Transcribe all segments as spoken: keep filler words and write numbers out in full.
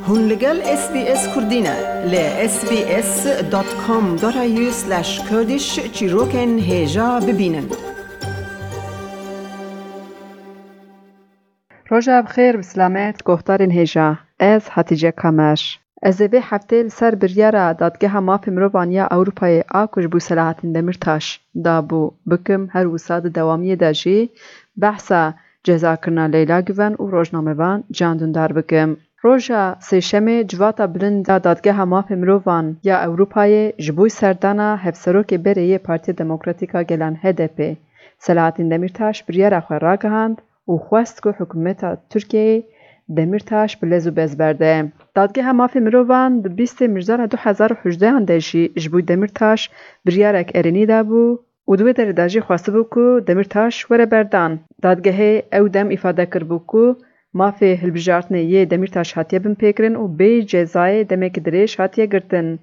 Hûn li gel S B S Kurdî ne. Li S B S dot com dot A U slash Kurdish çîrokên hêja bibînin. Roja bi xêr, bi silamet, guhdarên hêja. Ez Hatice Kamer. Ez ê vê heftê li ser biryara Dadgeha Mafê Mirovan ya Ewropayê a ku ji bo Selahattin Demirtaş dabû bikim, her wisa di dewamiyê de jî behsa cezakirina Leyla Güven û rojnamevan Can Dündar bikim. Roja Sêşemê Civata Bilind ya Dadgeha Mafê Mirovan ya Ewropayê ji bo serdana Hevserokê berê yê Partiya Demokratîk a Gelan H D P, Selahattin Demirtaş biryara xwe ragihand û xwest ku hikûmeta Tirkiyeyê Demirtaş bi lez û bez berde. Dadgeha Mafê Mirovan di bîstê Mijdara du hezar û hejdehan de jî ji bo Demirtaş biryarek erênî dabû û di wê derê de jî xwestibû ku Demirtaş were berdan. Dadgehê ew dem îfade kiribû ku mafê hilbijartinê yê Demirtaş hatiye binpêkirin û bêyî cezayê demekî dirêj hatiye girtin.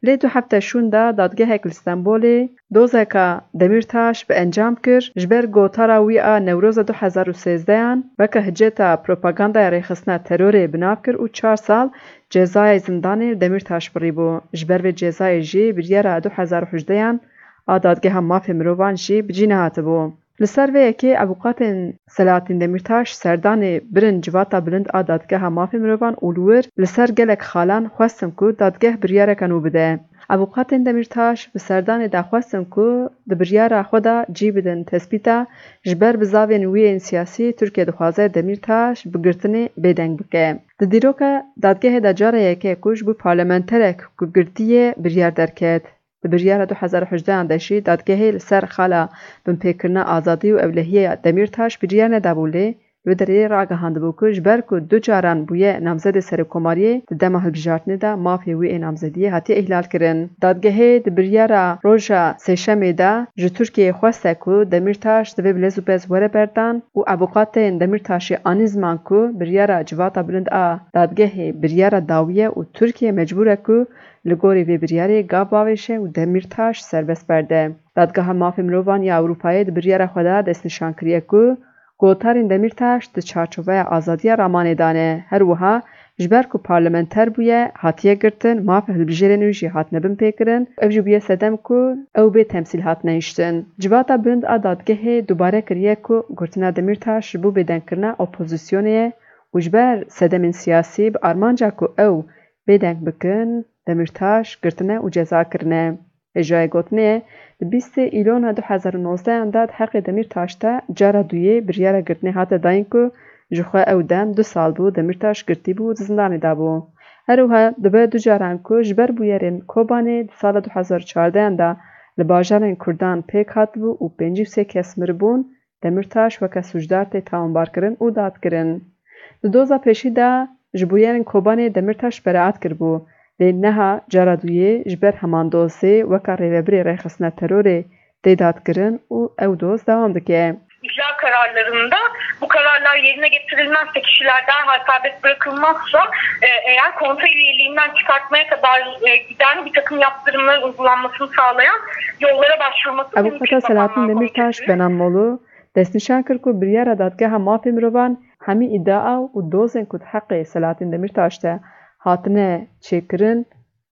Lê du hefte şûn de dadgehek li Stenbolê dozeka Demirtaş bi encam kir, ji ber gotara wî a Newroza du hezar û sêzdehan weke hiceta propagandaya rêxistina terorê bi nav kir û çar sal cezayê zindanê li Demirtaş birîbû. Ji ber vê cezayê jî biryara du hezar û hejdehan a Dadgeha Mafê Mirovan jî bi cî nehatibû. Li ser vê yekê avûkatên Selahattin Demirtaş serdanê birin Civata Bilind a Dadgeha Mafê Mirovan û li wir li ser gelek xalan xwestin ku dadgeh biryareke nû bide. Avûkatên Demirtaş bi serdanê de xwestin ku di biryara xwe de cî bidin tespîta ji ber bizavên wî yên siyasî Tirkiye dixwaze Demirtaş bi girtinê bêdeng bike. Di dîroka dadgehê de cara yekê ku ji bo parlamenterek ku girtî ye biryar derket. Di biryara du hezar û hejdehan de jî dadgehê li ser xala binpêkirina azadî û ewlehiyê ya Demîrtaş biryar nedabû, lê li wê derê ragihandibû ku ji ber ku du caran bûye namzedê serokkomariyê, di dema hilbijartinê de mafê wî ê namzediyê hatiye îhlalkirin. Dadgehê di biryara roja sêşemê de ji Tirkiyeyê xweste ku Demîrtaş divê bi lez û bez were berdan û avûkatên Demîrtaşê anî ziman ku biryara Civata Bilind a dadgehê biryara dawî ye û Tirkiye mecbûr e ku li gorî vê biryarê gav bavêje û Demîrtaş serbest berde. Dadgeha Mafê Mirovan ya Ewropayê di biryara xwe de destnîşan kiriye ku gotarên Demîrtaş di çarçoveya azadiya ramanê de ne. Her wiha ji ber ku parlamenter bûye, hatiye girtin, mafê hilbijêrên wî jî hatine binpêkirin. Ev jî bûye sedem ku ew bê temsîl hatine hiştin. Civata Bilind a dadgehê dubare kiriye ku girtina Demîrtaş ji bo bêdengkirina opozisyonê ye û ji ber sedemên siyasî bi armanca ku ew bêdeng bikin, Demîrtaş girtine û ceza kirine. Hêjayê gotinê ye, di bîstê Îlona du hezar û nozdehan de di heqê Demîrtaş de cara duyê biryara girtinê hate dayîn ku ji xwe ew dem du sal bû Demîrtaş girtî bû û di zindanê de bû. Her wiha dibe du caran ku ji ber bûyerên Kobanê di sala du hezar û çardehan de li bajarên Kurdan pêk hatibû û pêncî û sê kes miribûn, Demîrtaş weke sûcdar tê tawanbarkirin û dadkirin. Di doza pêşî de ji bûyerên Kobanê Demîrtaş beraat kiribû, lê niha cara duyê ji ber heman dozê weke rêvebirê rêxistina terorê tê dadkirin û ew doz dewam dike. İcra kararlarında bu kararlar yerine getirilmezse, kişiler derhal serbest bırakılmazsa, e, eğer konsey üyeliğinden çıkartmaya kadar, e, giden bir takım yaptırımların uygulanmasını sağlayan yollara başvurması mümkün. Avûkata Selahattin Demirtaş, Benan Molu, destnîşan kir ku biryara Dadgeha Mafê Mirovan hemî îdia û dozên ku di heqê Selahattin Demîrtaş de hatine çêkirin,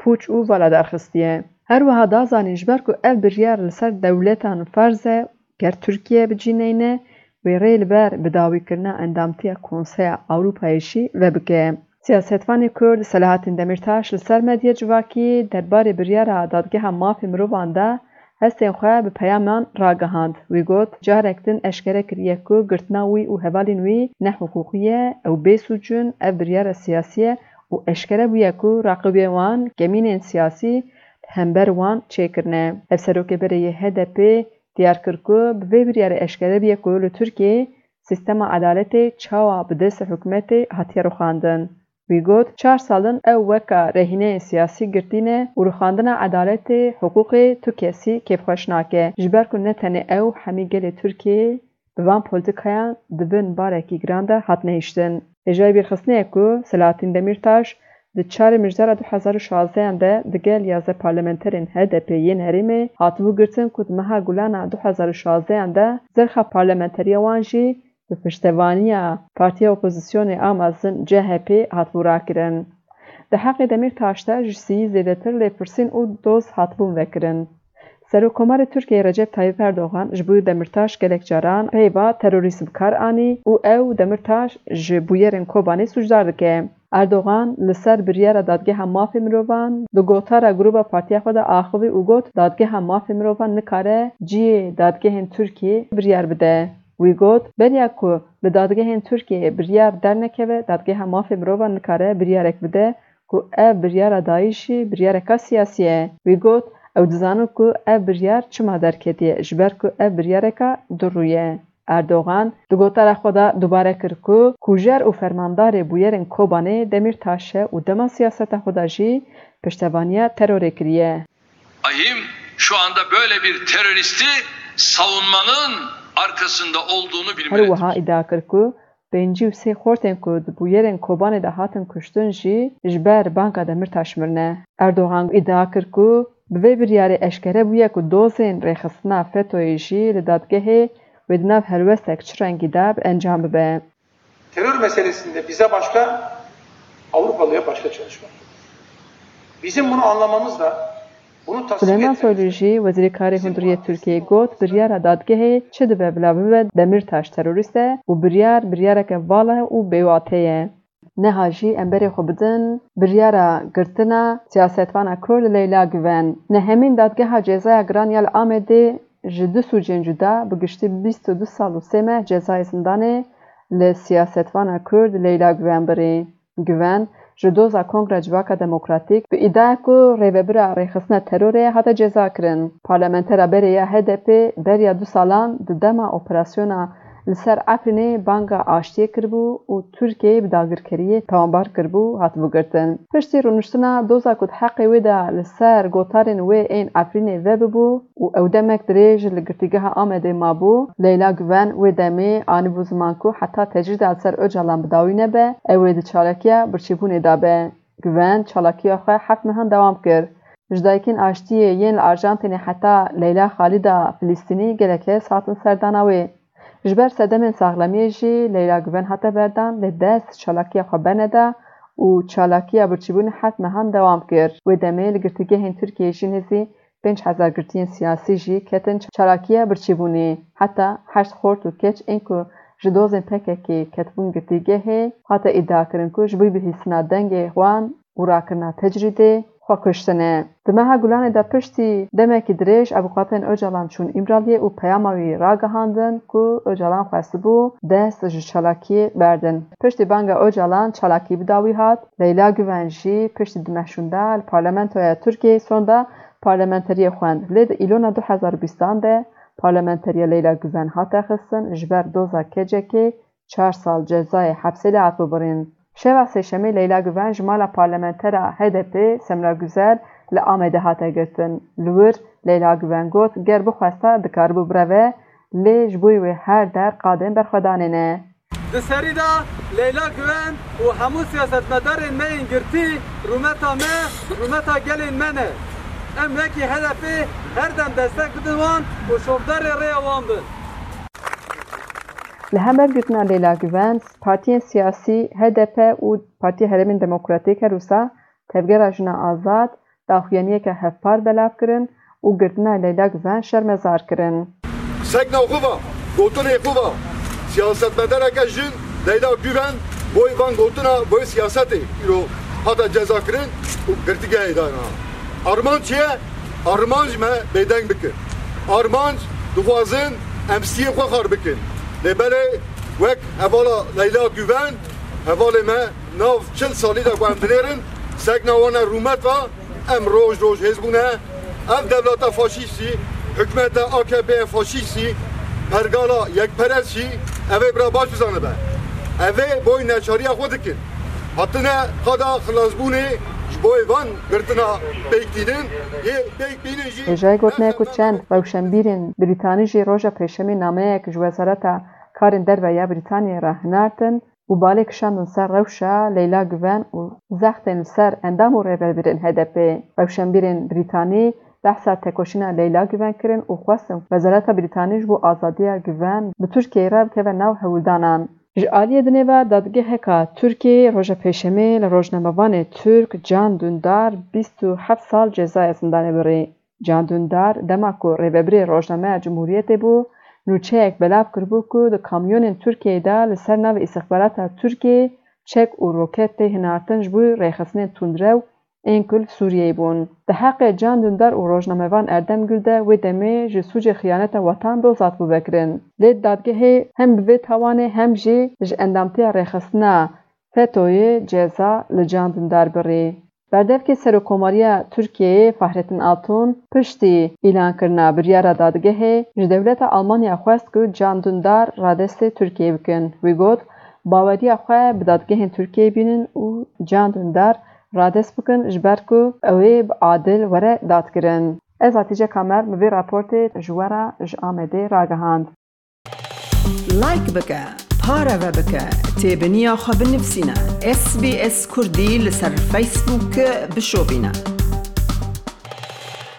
pûç û vala derxistiye. Her wiha da zanîn, ji ber ku ev biryar li ser dewletan ferz e, ger Tirkiye bi cî neyne, wê rê li ber bidawîkirina endamtiya Konseya Ewropayê jî vebike. Siyasetvanê Kurd Selahattin Demîrtaş li ser medya civakî derbarê biryara Dadgeha Mafê Mirovan de hestên xwe bi peyaman ragihand. Wî got, carek din eşkere kiriye ku girtina wî û hevalên wî nehiqûqî ye, ew bêsûc in, ev biryara siyasî ye û eşkere bûye ku raqîbê wan kemînên siyasî li hember wan çêkirine. Hevserokê berê yê H D P diyar kir ku bi vê biryarê eşkere bûye ku li Tirkiyeyê sîstema edaletê çawa bi destê hikûmetê hatiye rûxandin. Wî got, çar sal in ew weke rehîneyên siyasî girtî ne û rûxandina edaletê, hiqûqê tu kesî kêfxweş nake. Ji ber ku ne tenê ew, hemî gelê Tirkiyeyê bi van polîtîkayan di bin barekî giran de hatine hiştin. Hêjayî bîrxistinê ye ku Selahattin Demîrtaş di çarê Mijdara du hezar û şazdehan de digel yazdeh parlamenterên H D P yên herêmê hatibû girtin ku di meha Gulana du hezar û şazdehan de zirxa parlamenteriya wan jî bi piştevaniya partiya opozisyonê a mezin C H P hatibû rakirin. Di heqê Demîrtaş de ji sî zêdetir lêpirsîn û doz hatibûn vekirin. Serokkomarê Tirkiyeyê Recep Tayyip Erdogan ji bo Demîrtaş gelek caran peyva terorîst bi kar anî û ew Demîrtaş ji bûyerên Kobanê sûcdar dike. Erdogan li ser biryara Dadgeha Mafê Mirovan di gotara grûba partiya xwe de axivî û got, Dadgeha Mafê Mirovan nikare cihê dadgehên Tirkiyê biryar bide. Wî got, beriya ku li dadgehên Tirkiyeyê biryar dernekeve, Dadgeha Mafê Mirovan nikare biryarek bide ku ev biryara dayî jî biryareka siyasî ye. Wî got, ew dizanin ku ev biryar çima derketiye, ji ber ku ev biryareka durû ye. Erdogan di gotara xwe de dubare kir ku kujer û fermandarê bûyerên Kobanê Demîrtaş e û dema siyaseta xwe de jî piştevaniya terorê kiriye. Ahim şu anda böyle bir teröristi savunmanın arkasında olduğunu bilmelidir. Her wiha îdia kir ku pêncî û sê xortên ku di bûyerên Kobanê de hatin kuştin jî ji ber banga Demîrtaş mirine. Erdogan îdia kir ku bi vê biryarê eşkere bûye ku dozên rêxistina FETÖ'yê jî li dadgehê wê di nav helwestek çi rengî de bi encam bibe. Terör meselesinde bize başka, Avrupalıya başka çalışmak. Bizim bunu anlamamız da, bunu tasvip Suleyman etmemiz Soylu de jî, Wezîrê Karê Hundirî yê Tirkiyeyê got, biryara dadgehê çi dibe bila bibe Demîrtaş terorîst e û biryar, biryareke vala û bêwate ye. Niha jî em berê xwe bidin biryara girtina siyasetvana Kurd Leyla Guven. Nehemîn Dadgeha Cezaya Giran ya li Amedê ji du sûcên cuda, bi giştî bîst û du sal û sê meh cezayê zindanê li siyasetvana Kurd Leyla Guven birî. Guven ji doza Kongra Civaka Demokratîk bi îdiaya ku rêvebira rêxistina terorê hate cezakirin. Parlamentera berê ya H D P beriya du salan di dema operasyona li ser Efrînê banga aştiyê kiribû û Tirkiyeyê bi dagirkeriyê tawanbar kiribû, hatibû girtin. Piştî rûniştina doza ku di heqê wê de li ser gotarên wê ên Efrînê vebibû û ew demek dirêj li girtîgeha Amedê mabû, Leyla Guven wê demê anîbû ziman ku heta tecrîda li ser Ocalan bi dawî nebe, ew ê di çalakiya birçîbûnê de be. Guven çalakiya xwe heft mehan dewam kir. Ji dayikên aştiyê yên li Arjantînê heta Leyla Xalîda Filistînî gelek kes hatin serdana wê. Ji ber sedemên saxlemiyê jî Leyla Guven hate berdan, lê dest çalakiya xwe berneda û çalakiya birçîbûnê heft mehan dewam kir. Wê demê li girtîgehên Tirkiyeyê jî nêzî pênc hezar girtiyên siyasî jî ketin çalakiya birçîbûnê. Heta heşt xort û keç ên ku ji dozên P K K ketibûn girtîgehê, hate îdiakirin ku ji bo bihîstina dengê wan û rakirina tecrîdê xwe kuştine. Di meha Gulanê de piştî demekî dirêj avûkatên Ocalan çûn Îmraliyê û peyama wî ragihandin ku Ocalan xwestibû dest ji çalakiyê berdin. Piştî banga Ocalan çalakî bi dawî hat. Leyla Guven jî piştî du meh şûnde li Parlamentoya Tirkiyeyê sonda parlamenteriyê xwend. Lê di Îlona du hezar û bîstan de parlamenteriya Leyla Guven hate xistin, ji ber doza kecekê çar sal cezayê hepsê lê hatibû birîn. Şeva Sêşemê Leyla Guven ji mala parlamentera H D P Semra Guzel li Amedê hate girtin. Li wir Leyla Guven got, ger bixwesta dikaribû bireve, lê ji bo wê her der qadên berxwedanê ne. Di serî de Leyla Guven û hemû siyasetmedarên me yên girtî rûmeta me, rûmeta gelên me ne. Em wekî H D P her dem destek bidin wan û şopdarê rêya wan bin. Li hember girtina Leyla Guven, partiyên siyasî H D P û Partiya Herêmên Demokratîk her wisa Tevgera Jina Azad daxuyaniyeke hevpar belav kirin û girtina Leyla Guven şermezar kirin. Sekna xwe va, gotinê xwe va, siyasetmedareke jin Leyla Guven boy van gotina, boy siyasetê îro hate ceza kirin û girtîgehê dana. Armanc çi ye? Armanc me bêdeng bikin. Armanc dixwazin em stiyê xwe xar bikin. Lê belê wek hevala Leyla Guven, hevalê me nav çil salî de ku em dinêrin, sekna wan e rûmet va, em roj roj hêz bûne. Ev dewleta faşîstî, hikûmeta A K P'ê faşîstî, pergala yekperest jî, ev ê bira baş bizanibe. Ev ê boy neçariya xwe dikin. Hatine qada xilasbûnê ji bo van girtina pêk tînin, yê pêk bînin jî. Hêjayî gotinê ku çend rewşenbîrên Brîtanî jî roja Pêşemê nameyek ji Wezareta Karên Derve ya Brîtaniyê re hinartin û balê kişandin ser rewşa Leyla Guven û zextên li ser endam û rêvebirên H D P. Rewşenbîrên Brîtanî behsa tekoşîna Leyla Guven kirin û xwestin Wezareta Brîtanî ji bo azadiya Guven bi Tirkiyeyê re bikeve nav hewldanan. Ji aliyê dinê ve dadgeheka Tirkiyeyê roja Pêşemê li rojnamevanê Tirk Can Dündar bîst û heft sal cezaya zindanê birî. Can Dündar dema ku rêvebirê rojnameya Cumhuriyetê bû, nûçeyek belav kiribû ku di kamyonên Tirkiyeyê de li ser navê îstixbarata Tirkiyeyê çek û roket tê hinartin ji bo rêxistinên tundrew ên ku li Sûriyeyê bûn. Di heqê Can Dündar û rojnamevan Erdem Gül de wê demê ji sûcê xiyaneta wetan dozat bû vekirin. Lê dadgehê hem bi vê tawanê hem jî ji endamtiya rêxistina FETÖ'yê ceza li Can Dündar birî. Berdevkê Serokomariya Tirkiyeyê Fahrettin Altun piştî îlankirina biryara dadgehê ji dewleta Almanya xwest ku Can Dündar radestê Tirkiyeyê bikin. Wî got, baweriya xwe bi dadgehên Tirkiyeyê bînin û Can Dündar radest bikin ji ber ku ew ê bi adil were dadkirin. Ez Hatice Kamer, min vê raportê ji we re ji Amedê ragihand. Like bike, pareve bike, têbiniya xwe binivîsîne. S B S Kurdî li ser Facebook bişopîne.